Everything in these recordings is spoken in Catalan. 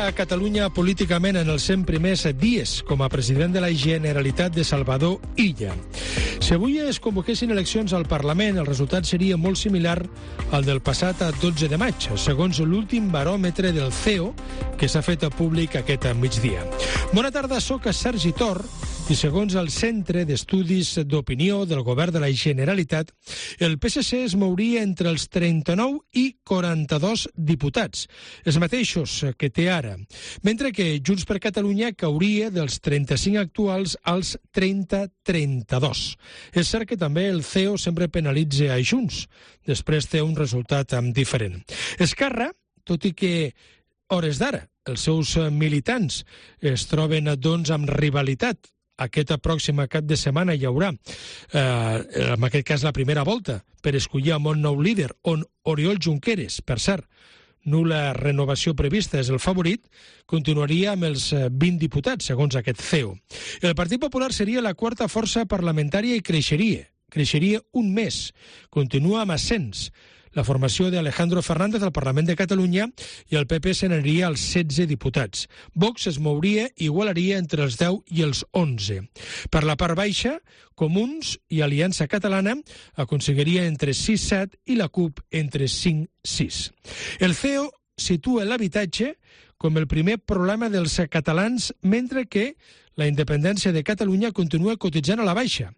a Catalunya políticament en els 100 primers dies com a president de la Generalitat de Salvador Illa. Si avui es convoquessin eleccions al Parlament, el resultat seria molt similar al del passat 12 de maig, segons l'últim baròmetre del CEO que s'ha fet públic aquest migdia. Bona tarda, soc Sergi Tor i segons el Centre d'Estudis d'Opinió del Govern de la Generalitat, el PSC es mouria entre els 39 i 42 diputats, els mateixos que té ara, mentre que Junts per Catalunya cauria dels 35 actuals als 30-32. És cert que també el CEO sempre penalitza a Junts, després té un resultat diferent. Esquerra, tot i que hores d'ara els seus militants es troben doncs amb rivalitat, aquesta pròxima cap de setmana hi haurà, en aquest cas la primera volta, per escollir un nou líder, on Oriol Junqueras, per cert, nul·la renovació prevista, és el favorit, continuaria amb els 20 diputats, segons aquest CEO. El Partit Popular seria la quarta força parlamentària i creixeria un mes, continua amb ascens. La formació d'Alejandro Fernández al Parlament de Catalunya i el PP se n'aniria als 16 diputats. Vox es mouria i igualaria entre els 10 i els 11. Per la part baixa, Comuns i Aliança Catalana aconseguiria entre 6-7 i la CUP entre 5-6. El CEO situa l'habitatge com el primer problema dels catalans, mentre que la independència de Catalunya continua cotitzant a la baixa.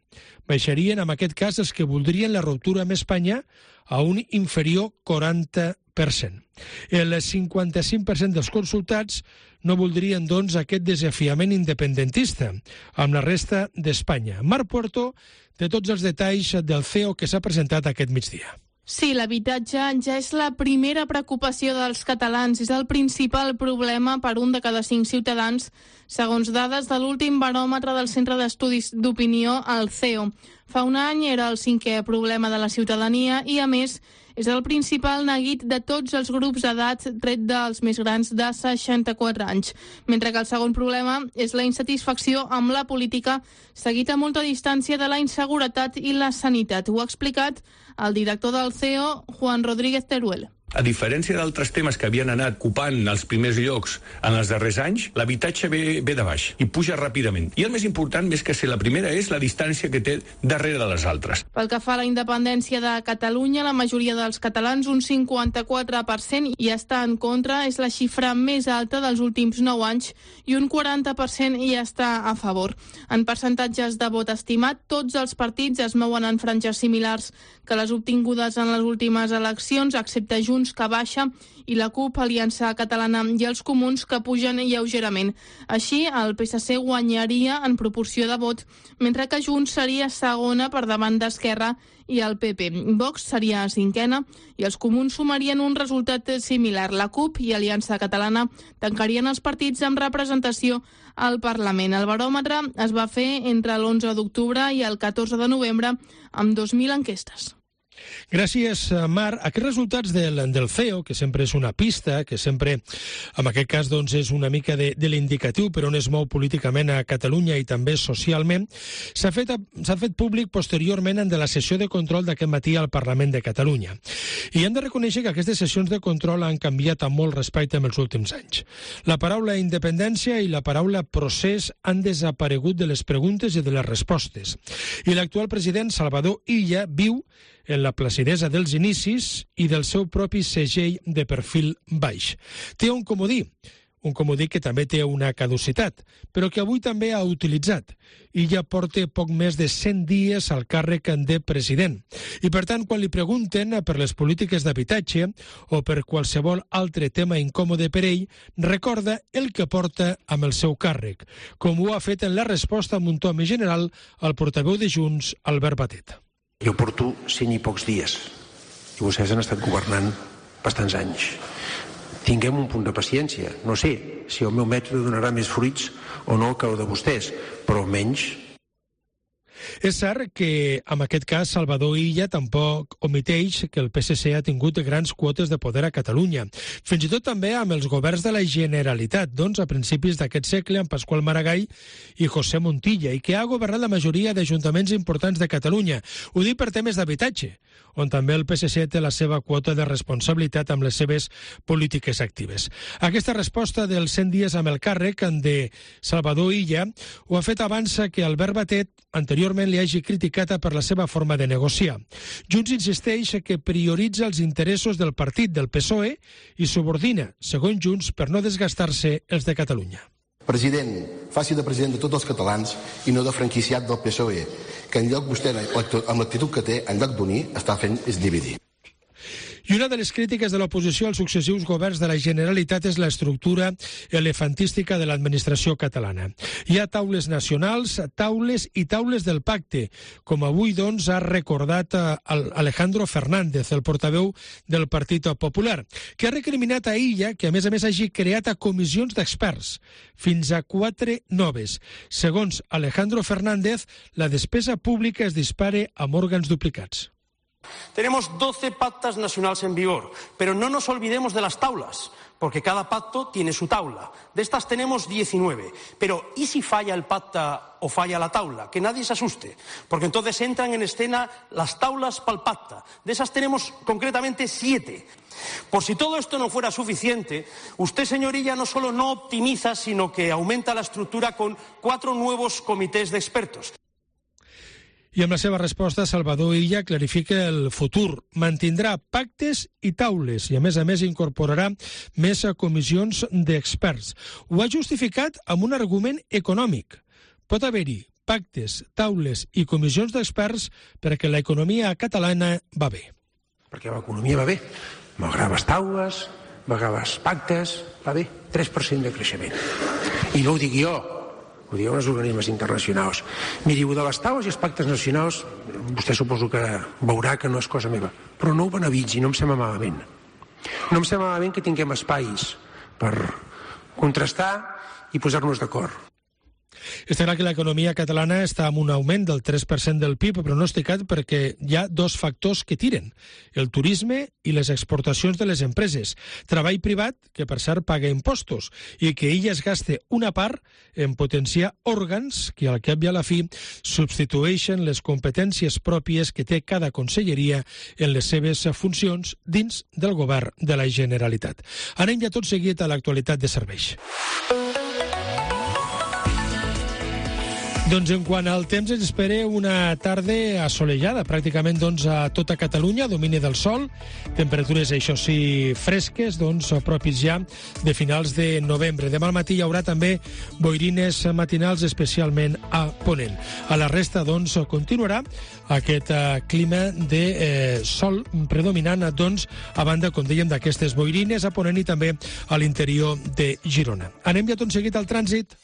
Baixarien, en aquest cas, els que voldrien la ruptura amb Espanya a un inferior 40%. El 55% dels consultats no voldrien, doncs, aquest desafiament independentista amb la resta d'Espanya. Marc Puerto té tots els detalls del CEO que s'ha presentat aquest migdia. Sí, l'habitatge ja és la primera preocupació dels catalans. És el principal problema per un de cada 5 ciutadans, segons dades de l'últim baròmetre del Centre d'Estudis d'Opinió, el CEO. Fa un any era el 5è problema de la ciutadania i, a més, és el principal neguit de tots els grups d'edat, tret dels més grans de 64 anys. Mentre que el segon problema és la insatisfacció amb la política, seguit a molta distància de la inseguretat i la sanitat. Ho ha explicat el director del CEO, Juan Rodríguez Teruel. A diferència d'altres temes que havien anat ocupant els primers llocs en els darrers anys, l'habitatge ve de baix i puja ràpidament. I el més important, més que ser la primera, és la distància que té darrere de les altres. Pel que fa a la independència de Catalunya, la majoria dels catalans, un 54%, hi està en contra, és la xifra més alta dels últims 9 anys, i un 40% hi està a favor. En percentatges de vot estimat, tots els partits es mouen en franges similars que les obtingudes en les últimes eleccions, excepte Junts, que baixa, i la CUP, Aliança Catalana, i els Comuns, que pugen lleugerament. Així, el PSC guanyaria en proporció de vot, mentre que Junts seria segona per davant d'Esquerra i el PP. Vox seria cinquena i els Comuns sumarien un resultat similar. La CUP i Aliança Catalana tancarien els partits amb representació al Parlament. El baròmetre es va fer entre l'11 d'octubre i el 14 de novembre amb 2.000 enquestes. Gràcies, Marc. Aquests resultats del CEO, que sempre és una pista, que sempre, en aquest cas, doncs, és una mica de l'indicatiu per on es mou políticament a Catalunya i també socialment, s'ha fet públic posteriorment en la sessió de control d'aquest matí al Parlament de Catalunya. I hem de reconèixer que aquestes sessions de control han canviat amb molt respecte en els últims anys. La paraula independència i la paraula procés han desaparegut de les preguntes i de les respostes. I l'actual president, Salvador Illa, viu en la placidesa dels inicis i del seu propi segell de perfil baix. Té un comodí que també té una caducitat, però que avui també ha utilitzat. I ja porta poc més de 100 dies al càrrec de president. I per tant, quan li pregunten per les polítiques d'habitatge o per qualsevol altre tema incòmode per ell, recorda el que porta amb el seu càrrec, com ho ha fet en la resposta amb un to més general al portaveu de Junts, Albert Batet. Jo porto 100 i pocs dies i vostès han estat governant bastants anys. Tinguem un punt de paciència. No sé si el meu mètode donarà més fruits o no que el de vostès, però almenys... És cert que, en aquest cas, Salvador Illa tampoc omiteix que el PSC ha tingut grans quotes de poder a Catalunya. Fins i tot també amb els governs de la Generalitat, doncs, a principis d'aquest segle, amb Pasqual Maragall i José Montilla, i que ha governat la majoria d'ajuntaments importants de Catalunya. Ho dic per temes d'habitatge, on també el PSC té la seva quota de responsabilitat amb les seves polítiques actives. Aquesta resposta dels 100 dies amb el càrrec de Salvador Illa ho ha fet abans que Albert Batet anteriorment li hagi criticat per la seva forma de negociar. Junts insisteix que prioritza els interessos del partit del PSOE i subordina, segons Junts, per no desgastar-se els de Catalunya. President, faci de president de tots els catalans i no de franquiciat del PSOE, que en lloc vostè, amb l'actitud que té, en lloc d'unir, està fent és dividir. I una de les crítiques de l'oposició als successius governs de la Generalitat és l'estructura elefantística de l'administració catalana. Hi ha taules nacionals, taules i taules del pacte, com avui doncs ha recordat Alejandro Fernández, el portaveu del Partit Popular, que ha recriminat a Illa que a més hagi creat comissions d'experts, fins a 4 noves. Segons Alejandro Fernández, la despesa pública es dispara amb òrgans duplicats. Tenemos 12 pactas nacionales en vigor, pero no nos olvidemos de las taulas, porque cada pacto tiene su taula. De estas tenemos 19, pero ¿y si falla el pacta o falla la taula? Que nadie se asuste, porque entonces entran en escena las taulas para el pacta. De esas tenemos concretamente 7. Por si todo esto no fuera suficiente, usted, señor Illa, no solo no optimiza, sino que aumenta la estructura con 4 nuevos comités de expertos. I amb la seva resposta, Salvador Illa clarifica el futur. Mantindrà pactes i taules i, a més, incorporarà més comissions d'experts. Ho ha justificat amb un argument econòmic. Pot haver-hi pactes, taules i comissions d'experts perquè l'economia catalana va bé. Perquè l'economia va bé. Malgrat les taules, malgrat els pactes, va bé. 3% de creixement. I no ho dic jo, ho diuen els organismes internacionals. Miri, de les taules i els pactes nacionals, vostè suposo que veurà que no és cosa meva, però no ho banalitzi, no em sembla malament. No em sembla malament que tinguem espais per contrastar i posar-nos d'acord. Està clar que l'economia catalana està amb un augment del 3% del PIB pronosticat perquè hi ha 2 factors que tiren, el turisme i les exportacions de les empreses. Treball privat, que per cert paga impostos, i que ella es gaste una part en potenciar òrgans que al cap i a la fi substitueixen les competències pròpies que té cada conselleria en les seves funcions dins del govern de la Generalitat. Anem ja tot seguit a l'actualitat de serveis. Doncs en quant al temps ens espera una tarda assolellada, pràcticament doncs, a tota Catalunya, domini del sol, temperatures això sí fresques, doncs propis ja de finals de novembre. Demà al matí hi haurà també boirines matinals, especialment a Ponent. A la resta doncs continuarà aquest clima de sol predominant, doncs, a banda, com dèiem, d'aquestes boirines a Ponent i també a l'interior de Girona. Anem ja tot seguit al trànsit.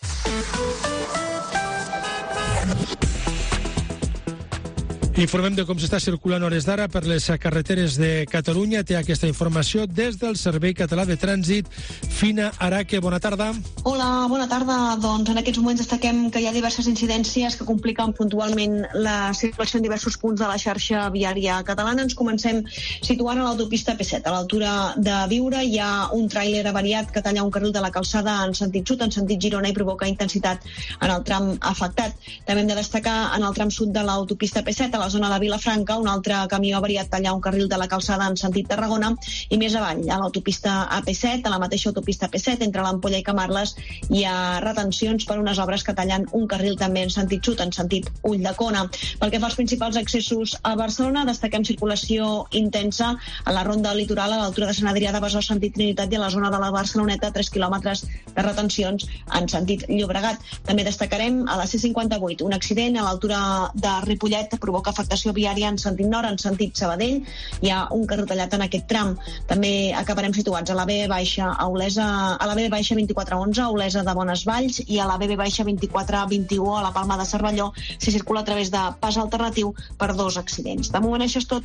Informem de com s'està circulant a hores d'ara per les carreteres de Catalunya. Té aquesta informació des del Servei Català de Trànsit. Fina Araque, bona tarda. Hola, bona tarda. Doncs en aquests moments destaquem que hi ha diverses incidències que compliquen puntualment la circulació en diversos punts de la xarxa viària catalana. Ens comencem situant a l'autopista P7. A l'altura de Biure hi ha un tràiler avariat que talla un carril de la calçada en sentit sud, en sentit Girona, i provoca intensitat en el tram afectat. També hem de destacar en el tram sud de l'autopista P7, a la zona de Vilafranca, un altre camió avariat talla un carril de la calçada en sentit Tarragona, i més avall, a l'autopista AP7, a la mateixa autopista P7, entre l'Ampolla i Camarles, hi ha retencions per unes obres que tallen un carril també en sentit sud, en sentit Ulldecona. Pel que fa als principals accessos a Barcelona, destaquem circulació intensa a la ronda litoral a l'altura de Sant Adrià de Besòs, sentit Trinitat, i a la zona de la Barceloneta, 3 quilòmetres de retencions en sentit Llobregat. També destacarem a la C58 un accident a l'altura de Ripollet provoca afectació viària en sentit nord, en sentit Sabadell. Hi ha un carril tallat en aquest tram. També acabarem situats a la B baixa a Olesa, a la B baixa 2411 a Olesa de Bonesvalls, i a la B baixa 2421 a la Palma de Cervelló s'hi circula a través de pas alternatiu per 2 accidents. De moment això és tot.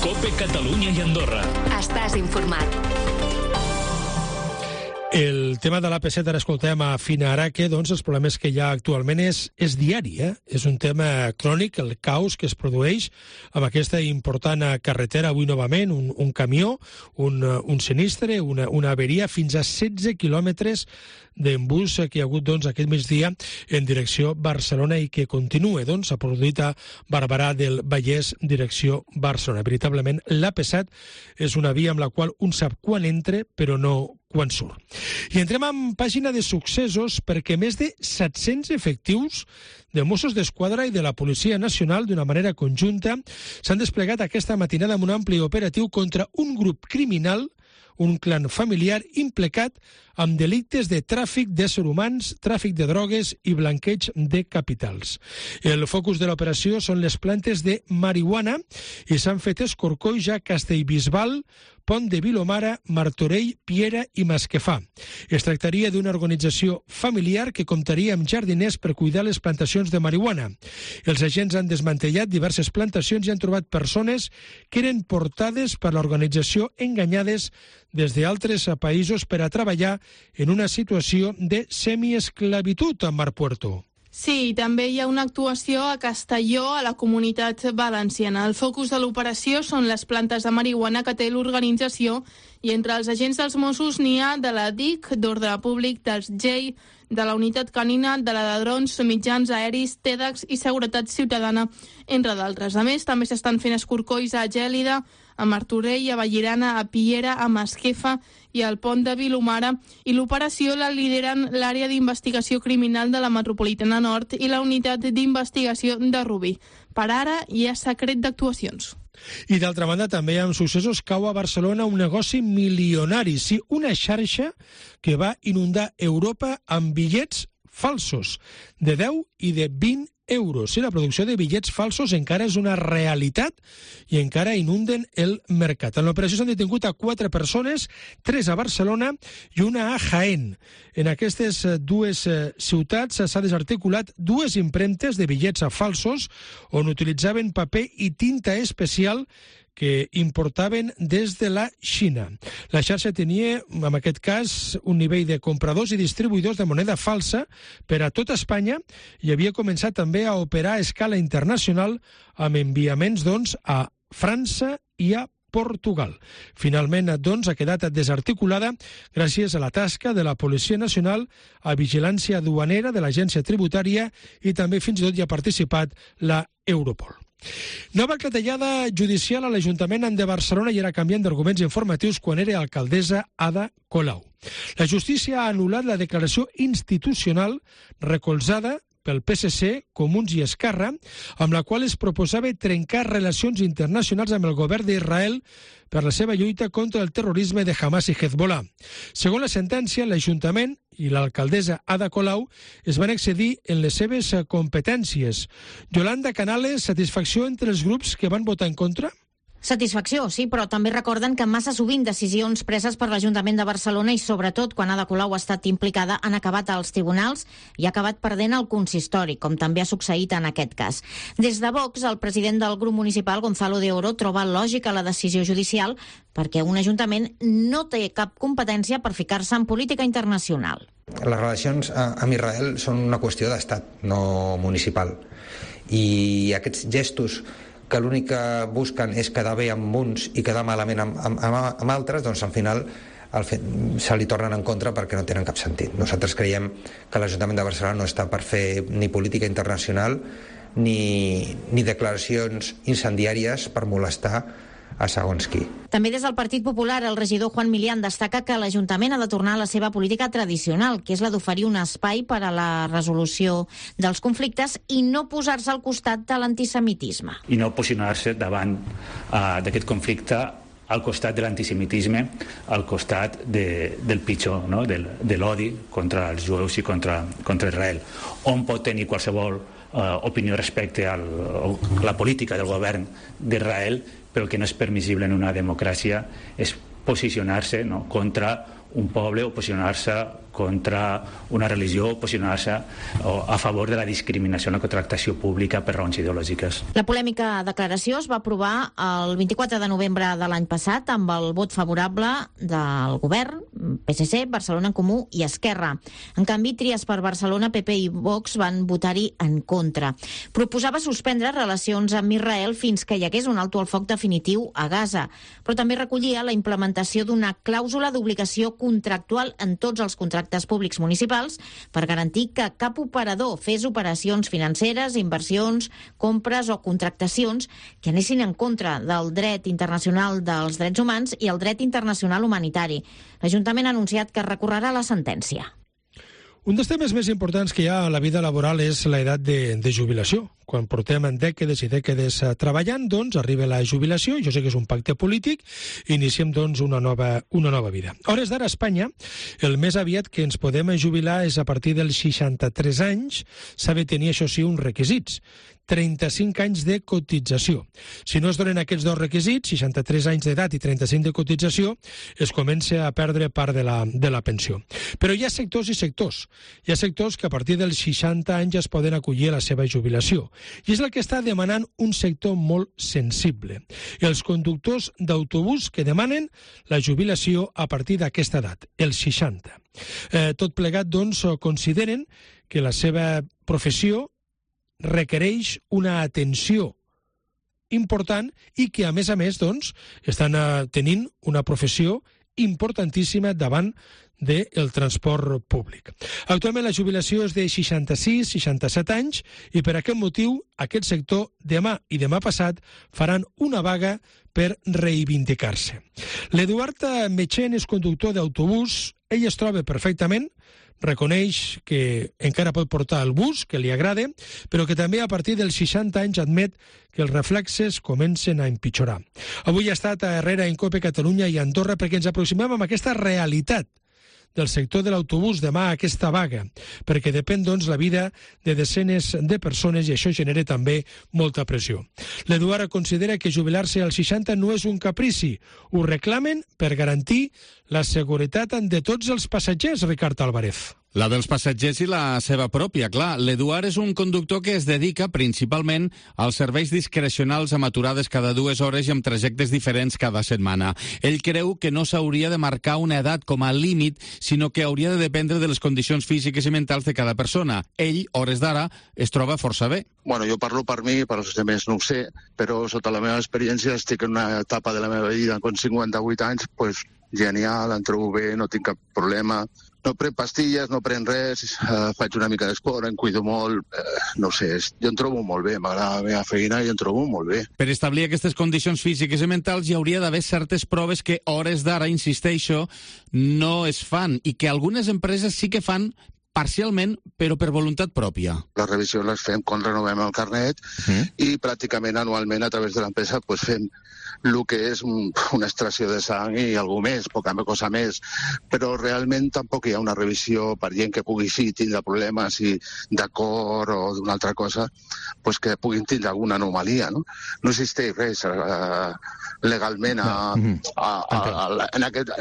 COPE Catalunya i Andorra. Estàs informat. El tema de l'AP7, ara escoltem a Fina Araque, doncs els problemes que hi ha actualment és diari, És un tema crònic, el caos que es produeix amb aquesta important carretera, avui novament, un camió, un sinistre, una averia, fins a 16 quilòmetres d'embús que hi ha hagut aquest migdia en direcció Barcelona i que continua, s'ha produït a Barberà del Vallès, direcció Barcelona. Veritablement, l'AP7 és una via amb la qual un sap quan entra, però no quan surt. I entrem en pàgina de successos perquè més de 700 efectius de Mossos d'Esquadra i de la Policia Nacional d'una manera conjunta s'han desplegat aquesta matinada amb un ampli operatiu contra un grup criminal, un clan familiar implicat amb delictes de tràfic d'éssers humans, tràfic de drogues i blanqueig de capitals. El focus de l'operació són les plantes de marihuana i s'han fet escorcolls a Castellbisbal, Pont de Vilomara, Martorell, Piera i Masquefà. Es tractaria d'una organització familiar que comptaria amb jardiners per cuidar les plantacions de marihuana. Els agents han desmantellat diverses plantacions i han trobat persones que eren portades per l'organització enganyades des d'altres països per a treballar en una situació de semiesclavitud a Mar Puerto. Sí, també hi ha una actuació a Castelló, a la Comunitat Valenciana. El focus de l'operació són les plantes de marihuana que té l'organització i entre els agents dels Mossos n'hi ha de la DIC, d'Ordre Públic, dels GEI, de la Unitat Canina, de la de Drons, Mitjans Aeris, TEDx i Seguretat Ciutadana, entre d'altres. A més, també s'estan fent escorcolls a Gèlida, a Martorell, a Vallirana, a Piera, a Masquefa i al Pont de Vilomara, i l'operació la lideren l'àrea d'investigació criminal de la Metropolitana Nord i la unitat d'investigació de Rubí. Per ara hi ha secret d'actuacions. I d'altra banda també amb successos cau a Barcelona un negoci milionari, sí, una xarxa que va inundar Europa amb bitllets falsos de 10 i de 20 euros. Sí, la producció de bitllets falsos encara és una realitat i encara inunden el mercat. En l'operació s'han detingut a 4 persones, 3 a Barcelona i una a Jaén. En aquestes dues ciutats s'ha desarticulat 2 impremtes de bitllets falsos on utilitzaven paper i tinta especial que importaven des de la Xina. La xarxa tenia, en aquest cas, un nivell de compradors i distribuïdors de moneda falsa per a tota Espanya i havia començat també a operar a escala internacional amb enviaments, a França i a Portugal. Finalment, ha quedat desarticulada gràcies a la tasca de la Policia Nacional, a Vigilància Duanera de l'Agència Tributària i també fins i tot hi ha participat la Europol. Nova clatellada judicial a l'Ajuntament de Barcelona i era canviant d'arguments informatius quan era alcaldessa Ada Colau. La justícia ha anul·lat la declaració institucional recolzada pel PSC, Comuns i Esquerra, amb la qual es proposava trencar relacions internacionals amb el govern d'Israel per la seva lluita contra el terrorisme de Hamas i Hezbollah. Segons la sentència, l'Ajuntament i l'alcaldessa Ada Colau es van excedir en les seves competències. Yolanda Canales, satisfacció entre els grups que van votar en contra? Satisfacció, sí, però també recorden que massa sovint decisions preses per l'Ajuntament de Barcelona i sobretot quan Ada Colau ha estat implicada han acabat als tribunals i ha acabat perdent el consistori, com també ha succeït en aquest cas. Des de Vox, el president del grup municipal, Gonzalo de Oro, troba lògica la decisió judicial perquè un ajuntament no té cap competència per ficar-se en política internacional. Les relacions amb Israel són una qüestió d'estat, no municipal. I aquests gestos que l'únic que busquen és quedar bé amb uns i quedar malament amb altres, doncs al final se li tornen en contra perquè no tenen cap sentit. Nosaltres creiem que l'Ajuntament de Barcelona no està per fer ni política internacional ni declaracions incendiàries per molestar a segons qui. També des del Partit Popular, el regidor Juan Milián destaca que l'Ajuntament ha de tornar a la seva política tradicional, que és la d'oferir un espai per a la resolució dels conflictes i no posar-se al costat de l'antisemitisme. I no posicionar-se davant d'aquest conflicte al costat de l'antisemitisme, al costat del pitjor, no? de l'odi contra els jueus i contra Israel. On pot tenir qualsevol opinió respecte a la política del govern d'Israel, però el que no és permissible en una democràcia és posicionar-se contra un poble o posicionar-se contra una religió o posicionar-se a favor de la discriminació en la contractació pública per raons ideològiques. La polèmica declaració es va aprovar el 24 de novembre de l'any passat amb el vot favorable del govern, PSC, Barcelona en Comú i Esquerra. En canvi, Tries per Barcelona, PP i Vox van votar-hi en contra. Proposava suspendre relacions amb Israel fins que hi hagués un alto al foc definitiu a Gaza, però també recollia la implementació d'una clàusula d'obligació contractual en tots els contractes públics municipals per garantir que cap operador fes operacions financeres, inversions, compres o contractacions que anessin en contra del dret internacional dels drets humans i el dret internacional humanitari. L'Ajuntament ha anunciat que recorrerà la sentència. Un dels temes més importants que hi ha a la vida laboral és l'edat de jubilació. Quan portem dècades i dècades treballant, doncs, arriba la jubilació, jo sé que és un pacte polític, i iniciem, doncs, una nova vida. A hores d'ara, a Espanya, el més aviat que ens podem jubilar és a partir dels 63 anys. S'ha de tenir, això sí, uns requisits. 35 anys de cotització. Si no es donen aquests dos requisits, 63 anys d'edat i 35 de cotització, es comença a perdre part de la pensió. Però hi ha sectors i sectors. Hi ha sectors que a partir dels 60 anys es poden acollir a la seva jubilació. I és el que està demanant un sector molt sensible. Els conductors d'autobús que demanen la jubilació a partir d'aquesta edat, els 60. Tot plegat, doncs, consideren que la seva professió requereix una atenció important i que, a més, doncs, estan tenint una professió importantíssima davant del transport públic. Actualment la jubilació és de 66-67 anys i per aquest motiu aquest sector demà i demà passat faran una vaga per reivindicar-se. L'Eduard Metxen és conductor d'autobús, ell es troba perfectament, reconeix que encara pot portar el bus, que li agrada, però que també a partir dels 60 anys admet que els reflexes comencen a empitjorar. Avui ha estat a Herrera, en COPE Catalunya i Andorra perquè ens aproximem amb aquesta realitat del sector de l'autobús demà a aquesta vaga, perquè depèn, doncs, la vida de desenes de persones i això genera també molta pressió. L'Eduard considera que jubilar-se als 60 no és un caprici, ho reclamen per garantir la seguretat de tots els passatgers, Ricard Álvarez. La dels passatgers i la seva pròpia, clar. L'Eduard és un conductor que es dedica principalment als serveis discrecionals amb aturades cada 2 hores i amb trajectes diferents cada setmana. Ell creu que no s'hauria de marcar una edat com a límit, sinó que hauria de dependre de les condicions físiques i mentals de cada persona. Ell, hores d'ara, es troba força bé. Bueno, jo parlo per mi, per als altres no ho sé, però sota la meva experiència estic en una etapa de la meva vida, amb 58 anys, pues, genial, em trobo bé, no tinc cap problema. No prenc pastilles, no prenc res, faig una mica d'esport, em cuido molt, no sé, jo em trobo molt bé, m'agrada la meva feina i em trobo molt bé. Per establir aquestes condicions físiques i mentals hi hauria d'haver certes proves que hores d'ara, insisteixo, no es fan i que algunes empreses sí que fan parcialment, però per voluntat pròpia. Les revisions les fem quan renovem el carnet i pràcticament anualment a través de l'empresa pues, fem el que és una extracció de sang i alguna més, poca cosa més, però realment tampoc hi ha una revisió per gent que pugui sí tindre problemes i de cor o d'una altra cosa, pues que puguin tindre alguna anomalia. No existeix res legalment en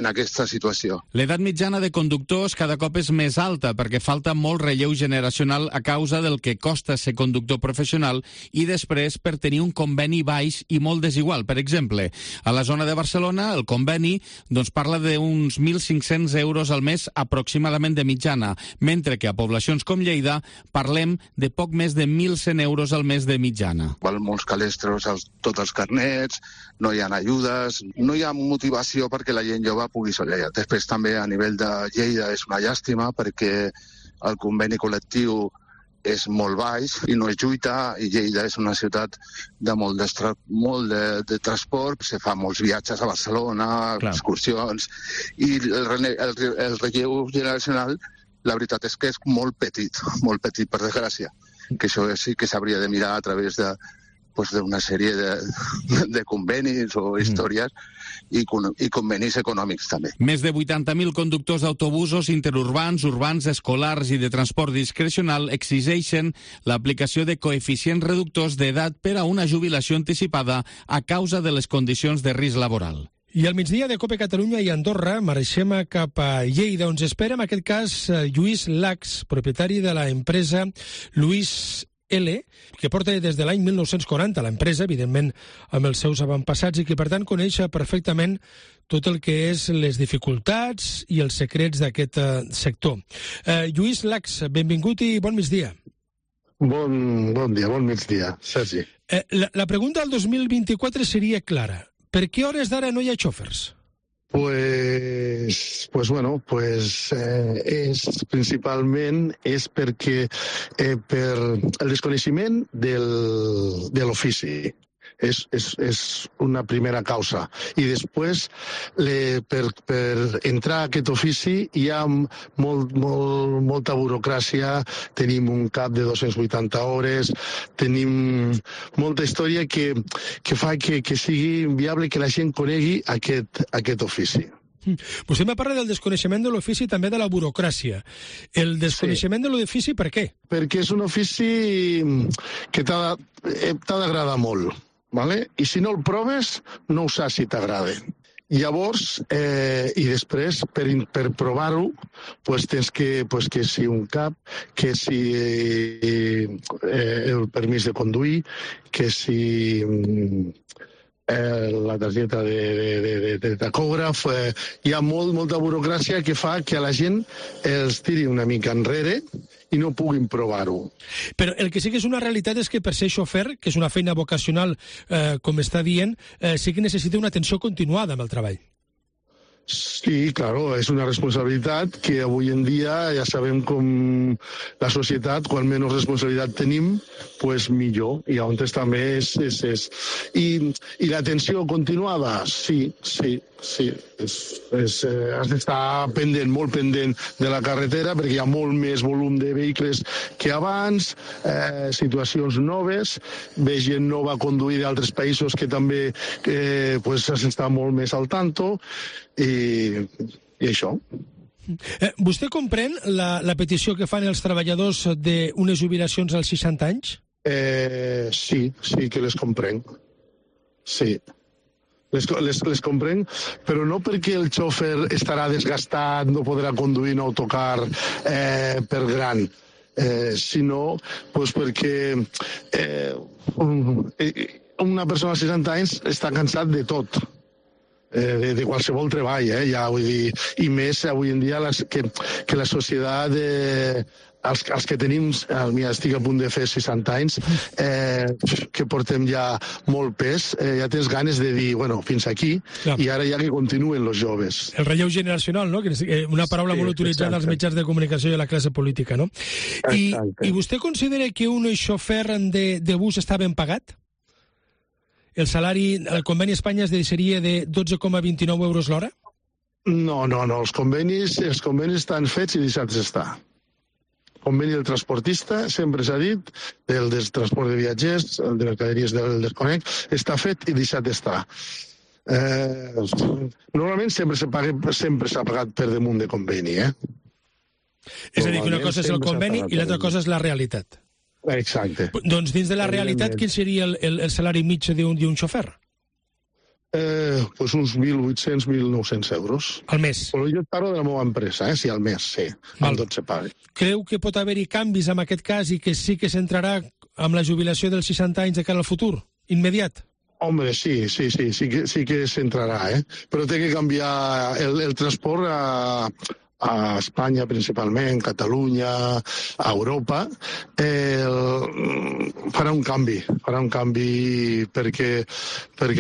aquesta situació. L'edat mitjana de conductors cada cop és més alta perquè falta molt relleu generacional a causa del que costa ser conductor professional i després per tenir un conveni baix i molt desigual. Per exemple, a la zona de Barcelona, el conveni doncs, parla d'uns 1.500 euros al mes aproximadament de mitjana, mentre que a poblacions com Lleida parlem de poc més de 1.100 euros al mes de mitjana. Val molts calestros tots els carnets, no hi ha ajudes, no hi ha motivació perquè la gent jove pugui solear. Després també a nivell de Lleida és una llàstima perquè el conveni col·lectiu és molt baix i no es lluita i Lleida és una ciutat de molt de transport, se fa molts viatges a Barcelona, excursions i el relleu generacional la veritat és que és molt petit per desgràcia, que això sí que s'hauria de mirar a través d'una sèrie de convenis o històries i convenis econòmics també. Més de 80.000 conductors d'autobusos interurbans, urbans, escolars i de transport discrecional exigeixen l'aplicació de coeficients reductors d'edat per a una jubilació anticipada a causa de les condicions de risc laboral. I al migdia de COPE Catalunya i Andorra marxem cap a Lleida, on espera en aquest cas Lluís Lax, propietari de l'empresa Lluís L, que porta des de l'any 1940 l'empresa, evidentment amb els seus avantpassats, i que per tant coneix perfectament tot el que és les dificultats i els secrets d'aquest sector. Lluís Lax, benvingut i bon migdia. Bon dia, bon migdia, Sergi. La pregunta del 2024 seria clara. Per què hores d'ara no hi ha xòfers? Principalment és perquè per el desconeixement de l'ofici. És una primera causa. I després, per entrar a aquest ofici hi ha molta burocràcia, tenim un cap de 280 hores, tenim molta història que fa que sigui inviable que la gent conegui aquest ofici. Vostè me parla del desconeixement de l'ofici i també de la burocràcia. El desconeixement de l'ofici, per què? Perquè és un ofici que t'ha d'agradar molt. Vale? I si no el proves, no ho saps si t'agrada. Llavors, i després, per provar-ho, tens que si un cap, que si el permís de conduir, que si la targeta de tacògraf. Hi ha molta burocràcia que fa que a la gent els tiri una mica enrere i no puguin provar-ho. Però el que sí que és una realitat és que per ser xofer, que és una feina vocacional, com està dient, sí que necessita una atenció continuada amb el treball. Sí, claro, és una responsabilitat que avui en dia ja sabem com la societat, quan menys responsabilitat tenim, pues millor. I llavors també és. I l'atenció continuada, sí. Has d'estar pendent, molt pendent de la carretera, perquè hi ha molt més volum de vehicles que abans, situacions noves, ve gent nova a conduir d'altres països que també has d'estar molt més al tanto, i això. Vostè comprèn la petició que fan els treballadors d'unes jubilacions als 60 anys? Sí que les comprenc. Sí. Les comprenc, però no perquè el xòfer estarà desgastat, no podrà conduir un autocar per gran, sinó perquè una persona als 60 anys està cansat de tot. De qualsevol treball, ja, vull dir, i més avui en dia que la societat, els que tenim, estic a punt de fer 60 anys, que portem ja molt pes, ja tens ganes de dir, bueno, fins aquí, i ara ja que continuen els joves. El relleu generacional, no? Una paraula molt utilitzada als mitjans de comunicació i a la classe política, no? I vostè considera que un xofer de bus està ben pagat? El salari, el conveni a Espanya es deixaria de 12,29 euros l'hora? No, els convenis estan fets i deixats estar. El conveni del transportista, sempre s'ha dit, del transport de viatgers, el de mercaderies del desconec, està fet i deixat estar. Normalment sempre s'ha pagat per damunt de conveni, És a dir, que una cosa és el conveni i l'altra cosa és la realitat. Exacte. Doncs dins de la realitat, quin seria el salari mitjà d'un xofer? Uns 1.800, 1.900 euros. Al mes? Però jo parlo de la meva empresa, sí, al mes, sí. Amb tot se paga. Creu que pot haver-hi canvis en aquest cas i que sí que s'entrarà amb la jubilació dels 60 anys de cara al futur? Immediat? Home, sí que s'entrarà, Però té que canviar el transport a Espanya principalment, Catalunya, a Europa, farà un canvi perquè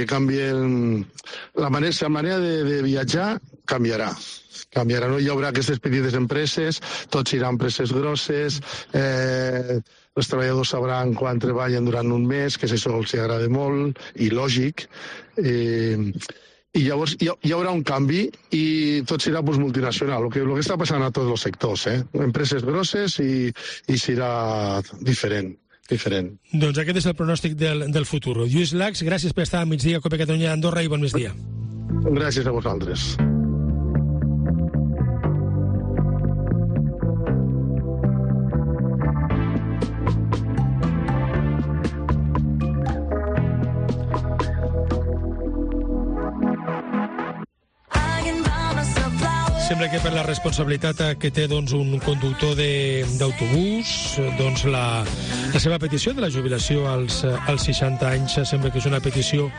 canvien la manera de viatjar canviarà, no hi haurà aquestes petites empreses, tots seran empreses grosses, els treballadors sabran quan treballen durant un mes, que això els agrada molt, i lògic, i llavors hi haurà un canvi i tot serà multinacional, el que està passant a tots els sectors, empreses grosses i serà diferent. Doncs aquest és el pronòstic del futur. Lluís Lax, gràcies per estar a migdia a Cope Catalunya d'Andorra i bon migdia. Gràcies a vosaltres. Sembla que per la responsabilitat que té un conductor d'autobús, la seva petició de la jubilació als 60 anys sembla que és una petició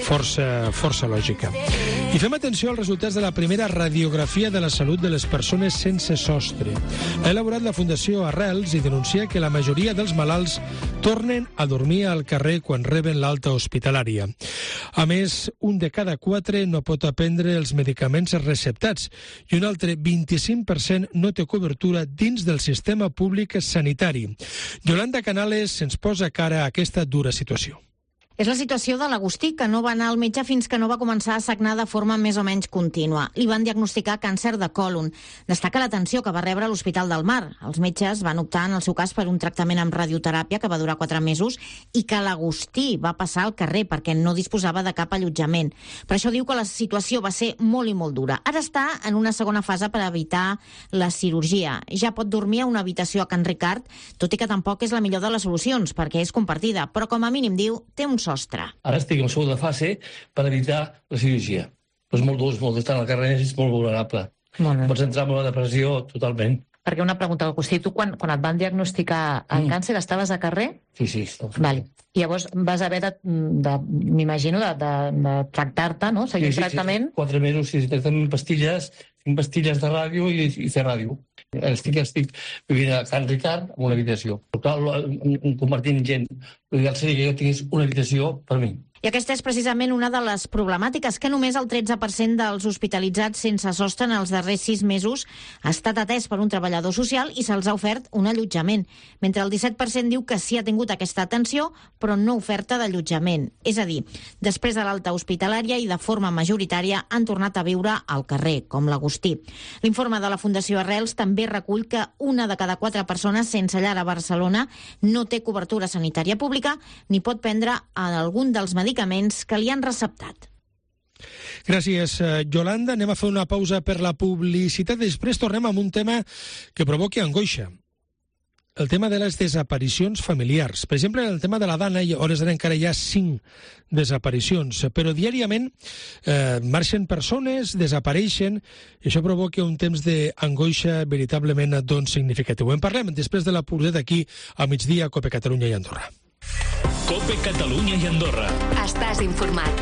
força lògica. I fem atenció als resultats de la primera radiografia de la salut de les persones sense sostre. Ha elaborat la Fundació Arrels i denuncia que la majoria dels malalts tornen a dormir al carrer quan reben l'alta hospitalària. A més, 1 de cada 4 no pot prendre els medicaments receptats i un altre 25% no té cobertura dins del sistema públic sanitari. Yolanda Canales ens posa cara a aquesta dura situació. És la situació de l'Agustí, que no va anar al metge fins que no va començar a sagnar de forma més o menys contínua. Li van diagnosticar càncer de còlon. Destaca l'atenció que va rebre a l'Hospital del Mar. Els metges van optar, en el seu cas, per un tractament amb radioteràpia que va durar 4 mesos i que l'Agustí va passar al carrer perquè no disposava de cap allotjament. Per això diu que la situació va ser molt i molt dura. Ara està en una segona fase per evitar la cirurgia. Ja pot dormir a una habitació a Can Ricard, tot i que tampoc és la millor de les solucions, perquè és compartida, però com a mínim, diu, té un sostre. Ara estic en segona fase per evitar la cirurgia. Però és molt dur, estar al carrer és molt vulnerable. Pots entrar en una depressió totalment. Perquè una pregunta, Agustí, tu quan et van diagnosticar el càncer estaves a carrer? Sí. Vale. I llavors vas haver m'imagino, de tractar-te, no? Seguir un tractament? 4 mesos, tractament pastilles, 5 pastilles de ràdio i fer ràdio. Estic vivint a Can Ricard amb una habitació. Compartint gent. L'ideal seria que jo tingués una habitació per mi. I aquesta és precisament una de les problemàtiques, que només el 13% dels hospitalitzats sense sostre en els darrers 6 mesos ha estat atès per un treballador social i se'ls ha ofert un allotjament, mentre el 17% diu que sí ha tingut aquesta atenció, però no oferta d'allotjament. És a dir, després de l'alta hospitalària i de forma majoritària han tornat a viure al carrer, com l'Agustí. L'informe de la Fundació Arrels també recull que 1 de cada 4 persones sense llar a Barcelona no té cobertura sanitària pública ni pot prendre algun dels medicaments que li han receptat. Gràcies, Yolanda. Anem a fer una pausa per la publicitat. Després tornem amb un tema que provoca angoixa. El tema de les desaparicions familiars. Per exemple, el tema de la Dana, a hores d'ara encara hi ha 5 desaparicions, però diàriament marxen persones, desapareixen, i això provoca un temps d'angoixa veritablement significatiu. En parlem després de la publicitat aquí a migdia a COPE Catalunya i Andorra. COPE Catalunya i Andorra. Estàs informat.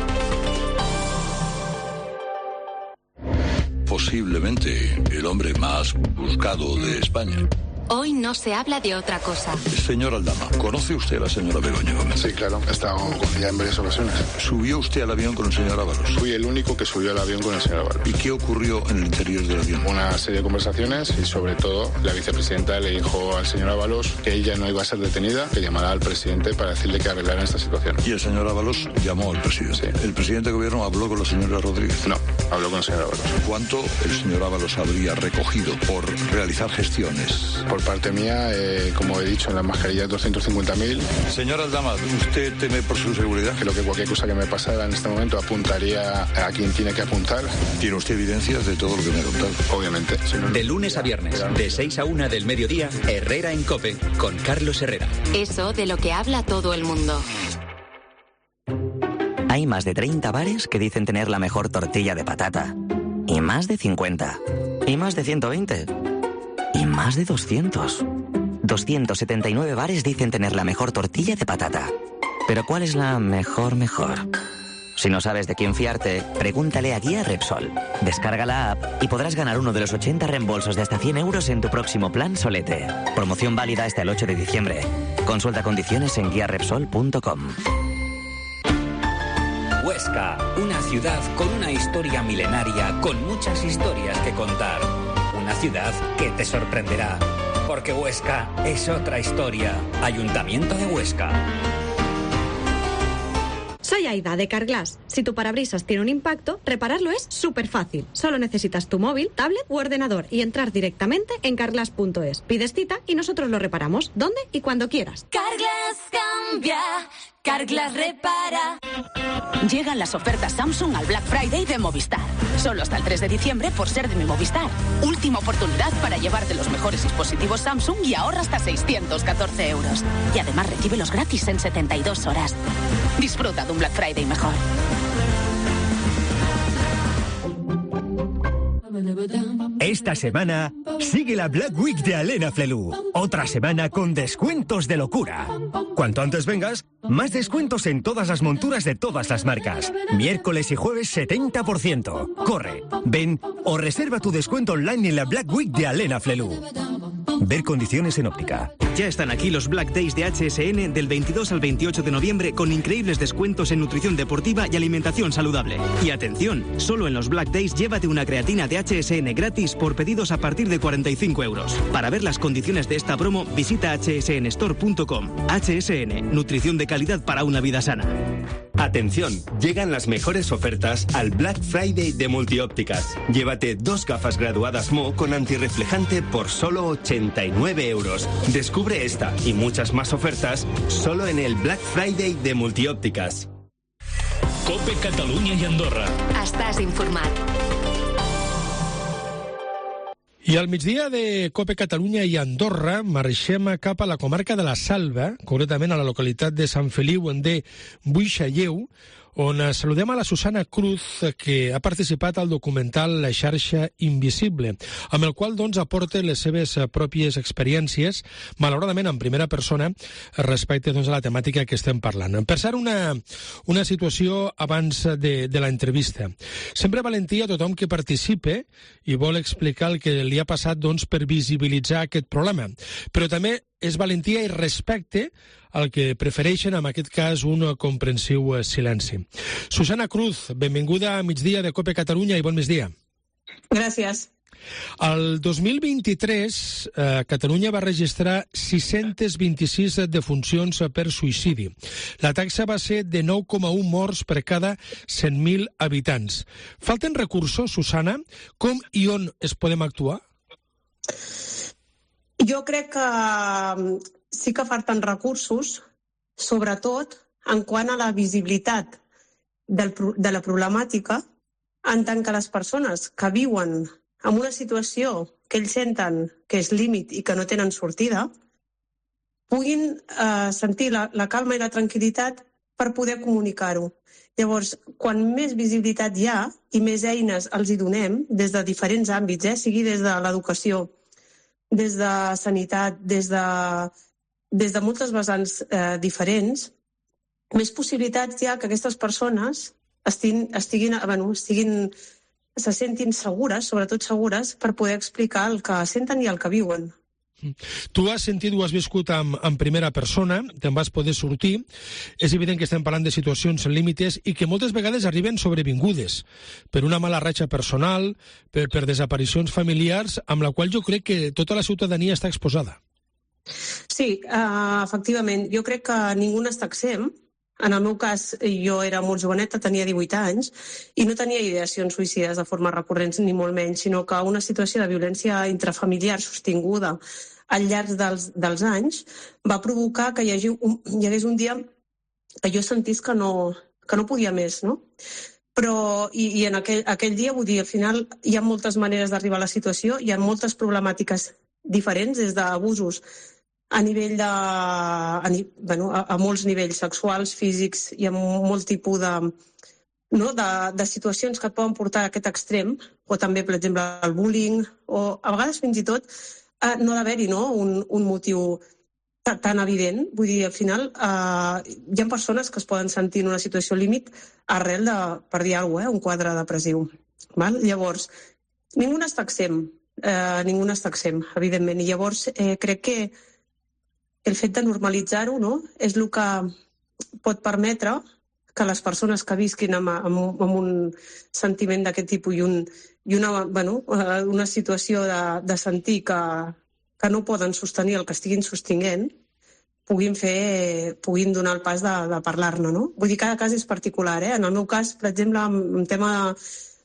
Posiblemente el hombre más buscado de España. Hoy no se habla de otra cosa. Señor Aldama, ¿conoce usted a la señora Begoña Gómez? Sí, claro, he estado con ella en varias ocasiones. ¿Subió usted al avión con el señor Ábalos? Fui el único que subió al avión con el señor Ábalos. ¿Y qué ocurrió en el interior del avión? Una serie de conversaciones y sobre todo la vicepresidenta le dijo al señor Ábalos que ella no iba a ser detenida, que llamara al presidente para decirle que arreglaran esta situación. ¿Y el señor Ábalos llamó al presidente? Sí. ¿El presidente de gobierno habló con la señora Rodríguez? No, habló con el señor Ábalos. ¿Cuánto el señor Ábalos habría recogido por realizar gestiones? Por parte mía, como he dicho, en las mascarillas 250.000. Señor Aldama, ¿usted teme por su seguridad? Creo que cualquier cosa que me pasara en este momento apuntaría a quien tiene que apuntar. ¿Tiene usted evidencias de todo lo que me ha contado? Obviamente. De lunes a viernes, de 6 a 1 del mediodía, Herrera en COPE, con Carlos Herrera. Eso de lo que habla todo el mundo. Hay más de 30 bares que dicen tener la mejor tortilla de patata. Y más de 50. Y más de 120. Y más de 200. 279 bares dicen tener la mejor tortilla de patata. Pero ¿cuál es la mejor? Si no sabes de quién fiarte, pregúntale a Guía Repsol. Descarga la app y podrás ganar uno de los 80 reembolsos de hasta 100 euros en tu próximo plan Solete. Promoción válida hasta el 8 de diciembre. Consulta condiciones en guiarepsol.com. Huesca, una ciudad con una historia milenaria, con muchas historias que contar. Una ciudad que te sorprenderá. Porque Huesca es otra historia. Ayuntamiento de Huesca. Soy Aida de Carglass. Si tu parabrisas tiene un impacto, repararlo es súper fácil. Solo necesitas tu móvil, tablet u ordenador y entrar directamente en carglass.es. Pides cita y nosotros lo reparamos donde y cuando quieras. Carglass cambia, Carglass repara. Llegan las ofertas Samsung al Black Friday de Movistar. Solo hasta el 3 de diciembre por ser de mi Movistar. Última oportunidad para llevarte los mejores dispositivos Samsung y ahorra hasta 614 euros. Y además recíbelos gratis en 72 horas. Disfruta de un Black Friday mejor. Esta semana sigue la Black Week de Alena Flelu. Otra semana con descuentos de locura. Cuanto antes vengas, más descuentos en todas las monturas de todas las marcas. Miércoles y jueves 70%. Corre, ven o reserva tu descuento online en la Black Week de Alena Flelu. Ver condiciones en óptica. Ya están aquí los Black Days de HSN del 22 al 28 de noviembre con increíbles descuentos en nutrición deportiva y alimentación saludable. Y atención, solo en los Black Days llévate una creatina de HSN gratis por pedidos a partir de 45 euros. Para ver las condiciones de esta promo, visita hsnstore.com. HSN, nutrición de calidad para una vida sana. Atención, llegan las mejores ofertas al Black Friday de Multiópticas. Llévate 2 gafas graduadas Mo con antirreflejante por solo 89 euros. Descubre esta y muchas más ofertas solo en el Black Friday de Multiópticas. COPE Catalunya i Andorra. Estàs informat. I al migdia de COPE Catalunya i Andorra marxem cap a la comarca de la Salva, concretament a la localitat de Sant Feliu de Buixalleu, on saludem a la Susana Cruz, que ha participat al documental La xarxa invisible, amb el qual aporta les seves pròpies experiències, malauradament en primera persona, respecte a la temàtica que estem parlant. Per cert, una situació abans de l'entrevista. Sempre valentia a tothom que participe i vol explicar el que li ha passat per visibilitzar aquest problema, però també és valentia i respecte al que prefereixen, en aquest cas, un comprensiu silenci. Susana Cruz, benvinguda a Migdia de COPE Catalunya i bon migdia. Gràcies. El 2023, Catalunya va registrar 626 defuncions per suïcidi. La taxa va ser de 9,1 morts per cada 100.000 habitants. Falten recursos, Susana? Com i on es podem actuar? Jo crec que sí que falten recursos, sobretot en quant a la visibilitat de la problemàtica, en tant que les persones que viuen en una situació que ells senten que és límit i que no tenen sortida, puguin sentir la calma i la tranquil·litat per poder comunicar-ho. Llavors, quan més visibilitat hi ha i més eines els hi donem, des de diferents àmbits, sigui des de l'educació, des de sanitat, des de moltes vessants diferents, més possibilitats hi ha que aquestes persones se sentin segures, sobretot segures, per poder explicar el que senten i el que viuen. Tu has sentit, ho has viscut en primera persona, te'n vas poder sortir. És evident que estem parlant de situacions límites i que moltes vegades arriben sobrevingudes per una mala ratxa personal, per desaparicions familiars, amb la qual jo crec que tota la ciutadania està exposada. Sí, efectivament. Jo crec que ningú n'està exempt. En el meu cas, jo era molt joveneta, tenia 18 anys, i no tenia ideacions suïcides de forma recurrents, ni molt menys, sinó que una situació de violència intrafamiliar sostinguda al llarg dels anys va provocar que hi hagués un dia que jo sentís que no podia més, no? Però, i en aquell dia, vull dir, al final hi ha moltes maneres d'arribar a la situació, hi ha moltes problemàtiques diferents, des d'abusos a nivell a molts nivells sexuals, físics, i amb molt tipus de situacions que et poden portar a aquest extrem, o també, per exemple, el bullying, o a vegades fins i tot no d'haver-hi un motiu tan evident. Vull dir, al final hi ha persones que es poden sentir en una situació límit arrel de, per dir alguna cosa, un quadre depressiu. Llavors, ningú n'està exempt, evidentment, i llavors crec que el fet de normalitzar-ho és el que pot permetre que les persones que visquin amb un sentiment d'aquest tipus i una situació de sentir que no poden sostenir el que estiguin sostinguent, puguin donar el pas de parlar-ne, no? Vull dir, cada cas és particular, eh? En el meu cas, per exemple, en tema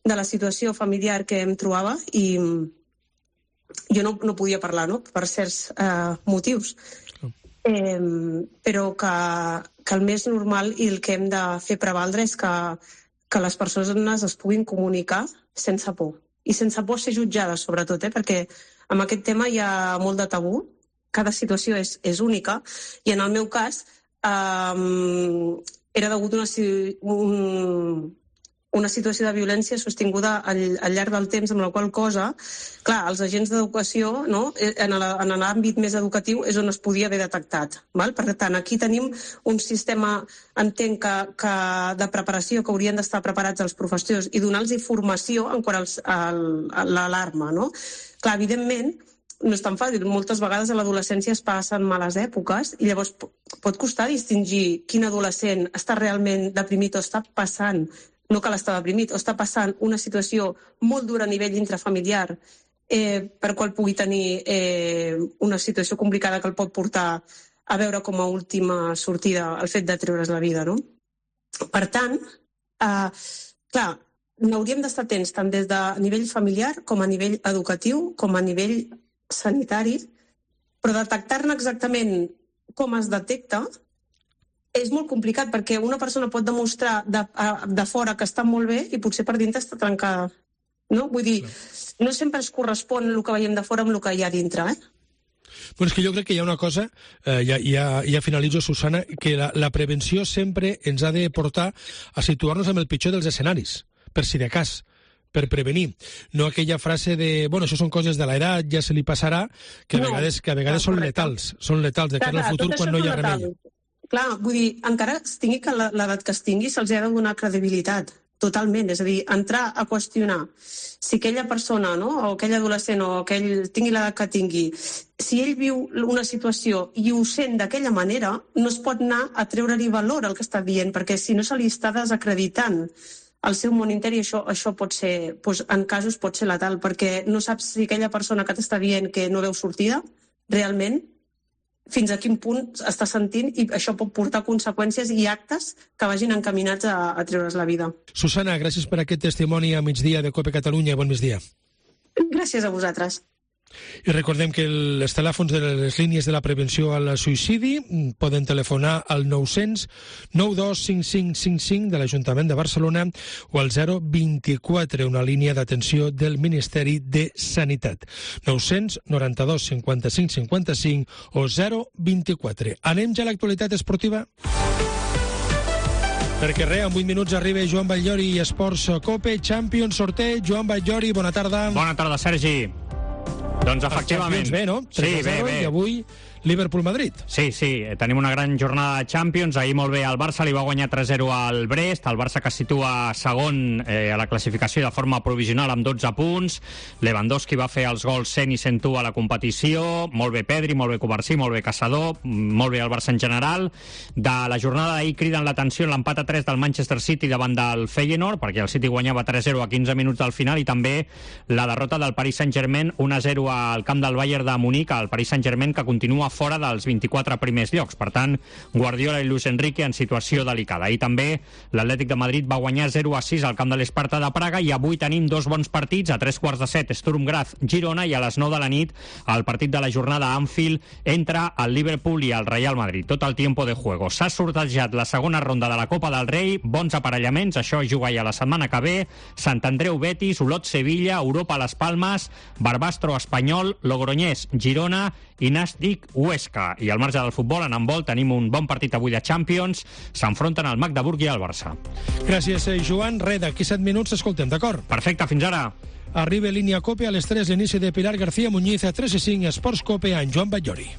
de la situació familiar que em trobava, i jo no podia parlar, no?, per certs motius. Però que el més normal i el que hem de fer prevaldre és que les persones es puguin comunicar sense por. I sense por ser jutjades, sobretot, perquè amb aquest tema hi ha molt de tabú, cada situació és única, i en el meu cas era degut a una situació de violència sostinguda al llarg del temps, amb la qual cosa, clar, els agents d'educació, no, en l'àmbit més educatiu és on es podia haver detectat. Val? Per tant, aquí tenim un sistema, entenc, que de preparació, que haurien d'estar preparats els professors i donar-los formació en quant a l'alarma. No? Clar, evidentment, no és tan fàcil. Moltes vegades a l'adolescència es passen males èpoques i llavors pot costar distingir quin adolescent està realment deprimit o està passant, no cal estar deprimit, o està passant una situació molt dura a nivell intrafamiliar per qual pugui tenir una situació complicada que el pot portar a veure com a última sortida el fet de treure's la vida. No? Per tant, clar, n'hauríem d'estar atents tant des de nivell familiar com a nivell educatiu, com a nivell sanitari, però detectar-ne exactament com es detecta és molt complicat, perquè una persona pot demostrar de fora que està molt bé i potser per dintre està trencada. No? Vull dir, no sempre es correspon el que veiem de fora amb el que hi ha dintre, Bueno, és que jo crec que hi ha una cosa, ja finalitzo, Susana, que la prevenció sempre ens ha de portar a situar-nos amb el pitjor dels escenaris, per si de cas, per prevenir. No aquella frase de, bueno, això són coses de l'edat, ja se li passarà, que a vegades són letals, de cara al futur quan no hi ha remei. Clar, vull dir, encara es tingui l'edat que es tingui, se'ls ha de donar credibilitat, totalment. És a dir, entrar a qüestionar si aquella persona, no?, o aquell adolescent, o aquell tingui l'edat que tingui, si ell viu una situació i ho sent d'aquella manera, no es pot anar a treure-li valor al que està dient, perquè si no se li està desacreditant el seu món interi, això pot ser, doncs, en casos pot ser letal, perquè no saps si aquella persona que t'està dient que no veu sortida, realment, fins a quin punt està sentint, i això pot portar conseqüències i actes que vagin encaminats a treure's la vida. Susana, gràcies per aquest testimoni a migdia de COPE Catalunya. Bon migdia. Gràcies a vosaltres. I recordem que els telèfons de les línies de la prevenció al suïcidi poden telefonar al 900 92 5555 de l'Ajuntament de Barcelona o al 024, una línia d'atenció del Ministeri de Sanitat. 900 92 55 55 o 024. Anem ja a l'actualitat esportiva? Perquè res, en 8 minuts arriba Joan Batllori i Esports COPE Champions sorteig. Joan Batllori, bona tarda. Bona tarda, Sergi. Doncs efectivament. Bé, no? 3-0, sí, bé. I avui Liverpool-Madrid. Sí, tenim una gran jornada de Champions. Ahir molt bé el Barça li va guanyar 3-0 al Brest, el Barça que es situa segon a la classificació de forma provisional amb 12 punts. Lewandowski va fer els gols 100 i 101 a la competició. Molt bé Pedri, molt bé Covarsí, molt bé Caçador, molt bé el Barça en general. De la jornada d'ahir criden l'atenció l'empat a 3 del Manchester City davant del Feyenoord, perquè el City guanyava 3-0 a 15 minuts del final, i també la derrota del Paris Saint-Germain 1-0 al camp del Bayern de Munic, el Paris Saint-Germain que continua fora dels 24 primers llocs. Per tant, Guardiola i Luis Enrique en situació delicada. I també l'Atlètic de Madrid va guanyar 0-6 al camp de l'Esparta de Praga, i avui tenim dos bons partits. A 3:15 Sturm Graz Girona, i a les 9 de la nit el partit de la jornada a Anfield entre el Liverpool i el Real Madrid. Tot el tiempo de juego. S'ha sortejat la segona ronda de la Copa del Rei, bons aparellaments, això juga ja la setmana que ve. Sant Andreu Betis, Olot Sevilla, Europa Las Palmas, Barbastro Espanyol, Logroñés Girona i Nàstic Huesca. I al marge del futbol, en handbol, tenim un bon partit avui de Champions. S'enfronten el Magdeburg i el Barça. Gràcies, Joan. Res, d'aquí 7 minuts escoltem, d'acord? Perfecte, fins ara. Arriba línia COPE a les 3, l'inici de Pilar García Muñiz a 3:05, Esports COPE amb Joan Batllori.